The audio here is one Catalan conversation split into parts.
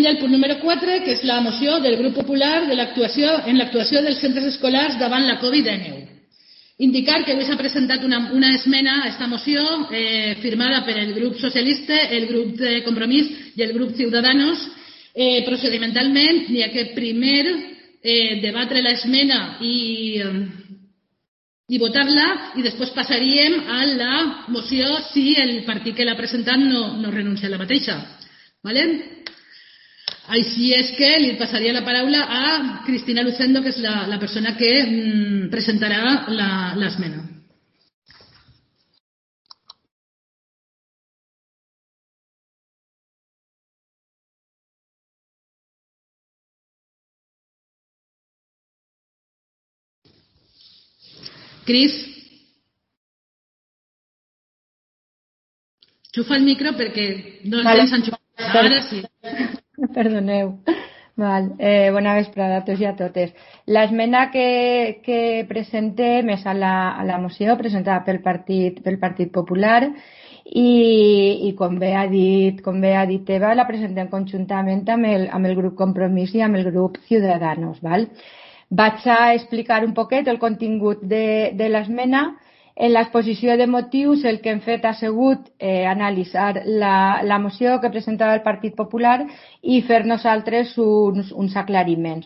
I el punt número 4, que és la moció del grup popular en l'actuació dels centres escolars davant la Covid-19. Indicar que avui s'ha presentat una esmena a aquesta moció firmada per el grup socialista, el grup de Compromís i el grup Ciudadanos. Procedimentalment, n'hi ha que primer debatre l'esmena i votar-la i després passaríem a la moció si el partit que l'ha presentat no renuncia a la mateixa. ¿Vale? Així és que li passaria la paraula a Cristina Lucendo, que és la persona que presentarà l'esmena. Cris, xufa el micro perquè no el tens enxufat. Ara sí. Perdoneu. Bona vesprada a tots i a totes. L'esmena que presentem és a la moció presentada pel Partit Popular i com bé ha dit Eva, la presentem conjuntament amb el grup Compromís i amb el grup Ciudadanos. Vaig a explicar un poquet el contingut de l'esmena. En l'exposició de motius el que hem fet ha sigut analitzar la moció que presentava el Partit Popular i fer nosaltres uns aclariments.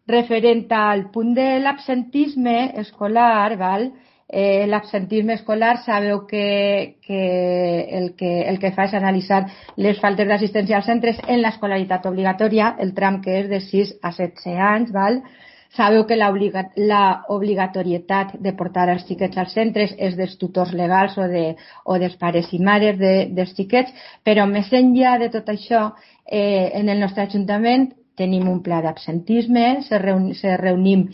Referent al punt de l'absentisme escolar, l'absentisme escolar sabeu que el que fa és analitzar les faltes d'assistència als centres en l'escolaritat obligatòria, el tram que és de 6 a 16 anys, Sabeu que l'obligatorietat de portar els xiquets als centres és dels tutors legals o dels pares i mares dels xiquets, però més enllà de tot això, en el nostre Ajuntament tenim un pla d'absentisme, se reunim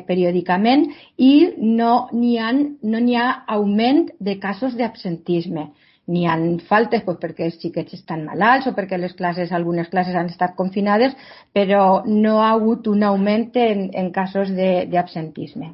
periòdicament i no n'hi ha augment de casos d'absentisme. N'hi ha faltes perquè els xiquets estan malalts o perquè algunes classes han estat confinades, però no ha hagut un augment en casos d'absentisme.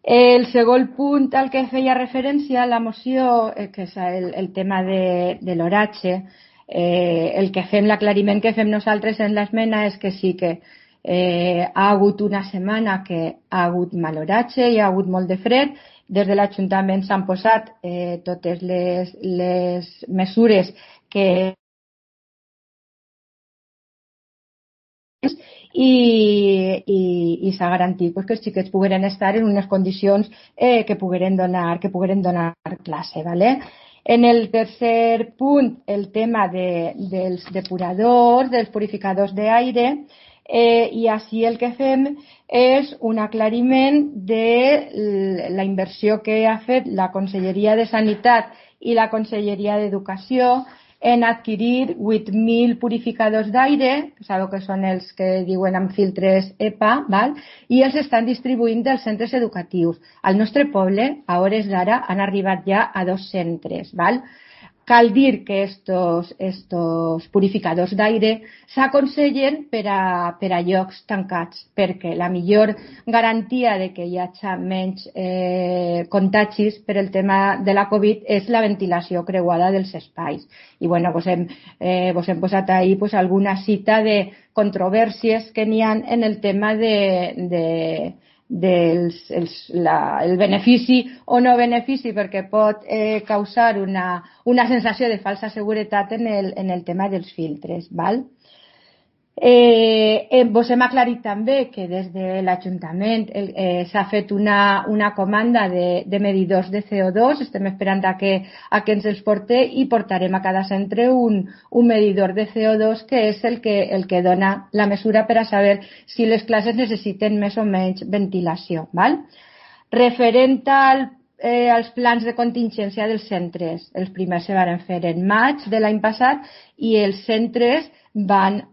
El segon punt al que feia referència a la moció, que és el tema de l'horatge, l'aclariment que fem nosaltres en l'esmena és que sí que ha hagut una setmana que ha hagut mal horatge i ha hagut molt de fred. Des de l'Ajuntament s'han posat totes les mesures que i s'ha garantit que els xiquets pogueren estar en unes condicions que pogueren donar classe. En el tercer punt, el tema dels depuradors, dels purificadors d'aire, i així el que fem és un aclariment de la inversió que ha fet la Conselleria de Sanitat i la Conselleria d'Educació en adquirir 8.000 purificadors d'aire, sabeu que són els que diuen amb filtres EPA, i els estan distribuint dels centres educatius. Al nostre poble, a hores d'ara, han arribat ja a 2 centres. Cal dir que estos purificadors d'aire s'aconsellen per a llocs tancats, perquè la millor garantia de que hi hagi menys contagis per el tema de la Covid és la ventilació creuada dels espais. I vos hem posat ahí alguna cita de controvèrsies que n'hi ha en el tema el benefici o no benefici, perquè pot causar una sensació de falsa seguretat en el tema dels filtres. Vos hem aclarit també que des de l'Ajuntament s'ha fet una comanda de medidors de CO2, estem esperant a que ens els porte i portarem a cada centre un medidor de CO2 que és el que dona la mesura per a saber si les classes necessiten més o menys ventilació. Referent als plans de contingència dels centres, els primers se van fer en maig de l'any passat i els centres van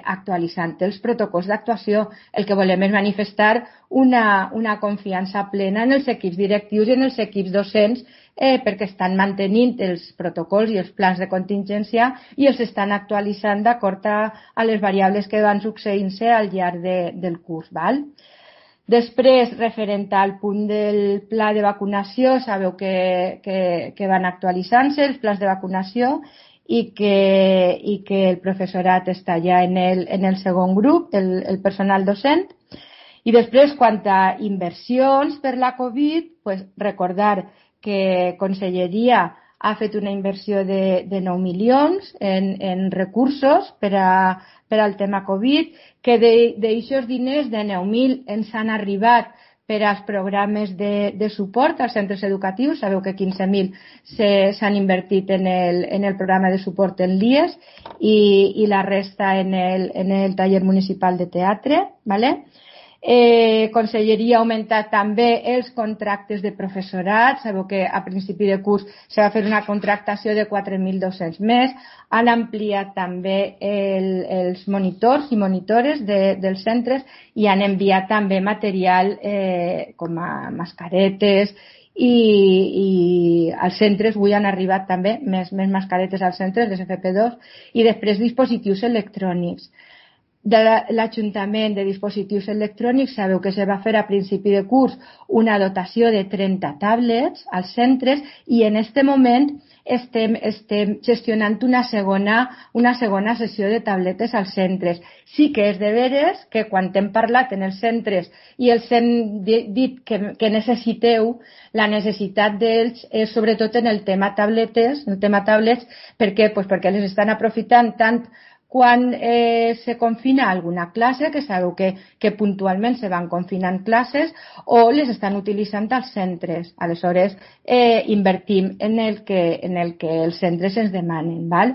actualitzant els protocols d'actuació. El que volem és manifestar una confiança plena en els equips directius i en els equips docents perquè estan mantenint els protocols i els plans de contingència i els estan actualitzant d'acord a les variables que van succeint-se al llarg del curs. Després, referent al punt del pla de vacunació, sabeu que van actualitzant-se els plans de vacunació i que el professorat està ja en el segon grup, el personal docent. I després, quant a inversions per la Covid, pues recordar que Conselleria ha fet una inversió de 9 milions en recursos per al tema Covid, que d'aixòs diners de 9.000 ens han arribat per als programes de suport als centres educatius. Sabeu que 15.000 s'han invertit en el programa de suport en l'IES i la resta en el taller municipal de teatre, ¿vale? Conselleria ha augmentat també els contractes de professorat. Sabeu que a principi de curs se va fer una contractació de 4.200 més. Han ampliat també els monitors i monitores dels centres i han enviat també material com a mascaretes i als centres. Avui han arribat també més mascaretes als centres, les FP2, i després dispositius electrònics. De l'Ajuntament de dispositius electrònics, sabeu que se va fer a principi de curs una dotació de 30 tablets als centres i en aquest moment estem gestionant una segona sessió de tabletes als centres. Sí que és de veres que quan hem parlat en els centres i els hem dit que necessiteu, la necessitat d'ells és sobretot en el tema tablets. Per què? Pues perquè les estan aprofitant tant quan se confina alguna classe, que sabeu que puntualment se van confinant classes, o les estan utilitzant als centres. Aleshores, invertim en el que els centres ens demanen, val?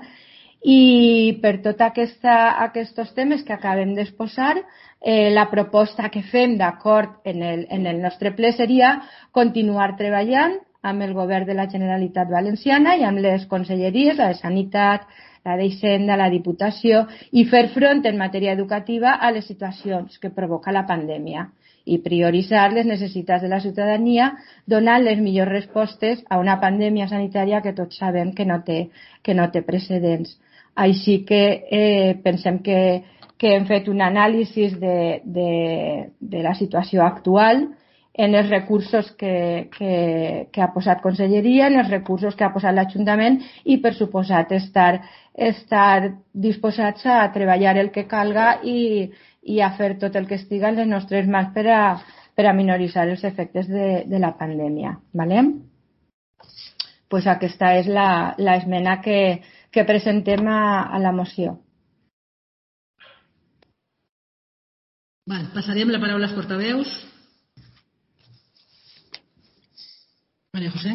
I per tots aquests temes que acabem d'exposar, la proposta que fem d'acord en el nostre ple seria continuar treballant amb el govern de la Generalitat Valenciana i amb les conselleries, la de Sanitat, la d'Hisenda, la Diputació, i fer front en matèria educativa a les situacions que provoca la pandèmia i prioritzar les necessitats de la ciutadania donant les millors respostes a una pandèmia sanitària que tots sabem que no té precedents. Així que pensem que hem fet un anàlisi de la situació actual en els recursos que ha posat Conselleria, en els recursos que ha posat l'Ajuntament i, per suposat, estar disposats a treballar el que calga i a fer tot el que estiga en les nostres mans per a minoritzar els efectes de la pandèmia. ¿Vale? Pues aquesta és l'esmena que presentem a la moció. Passarem la paraula als portaveus. María José.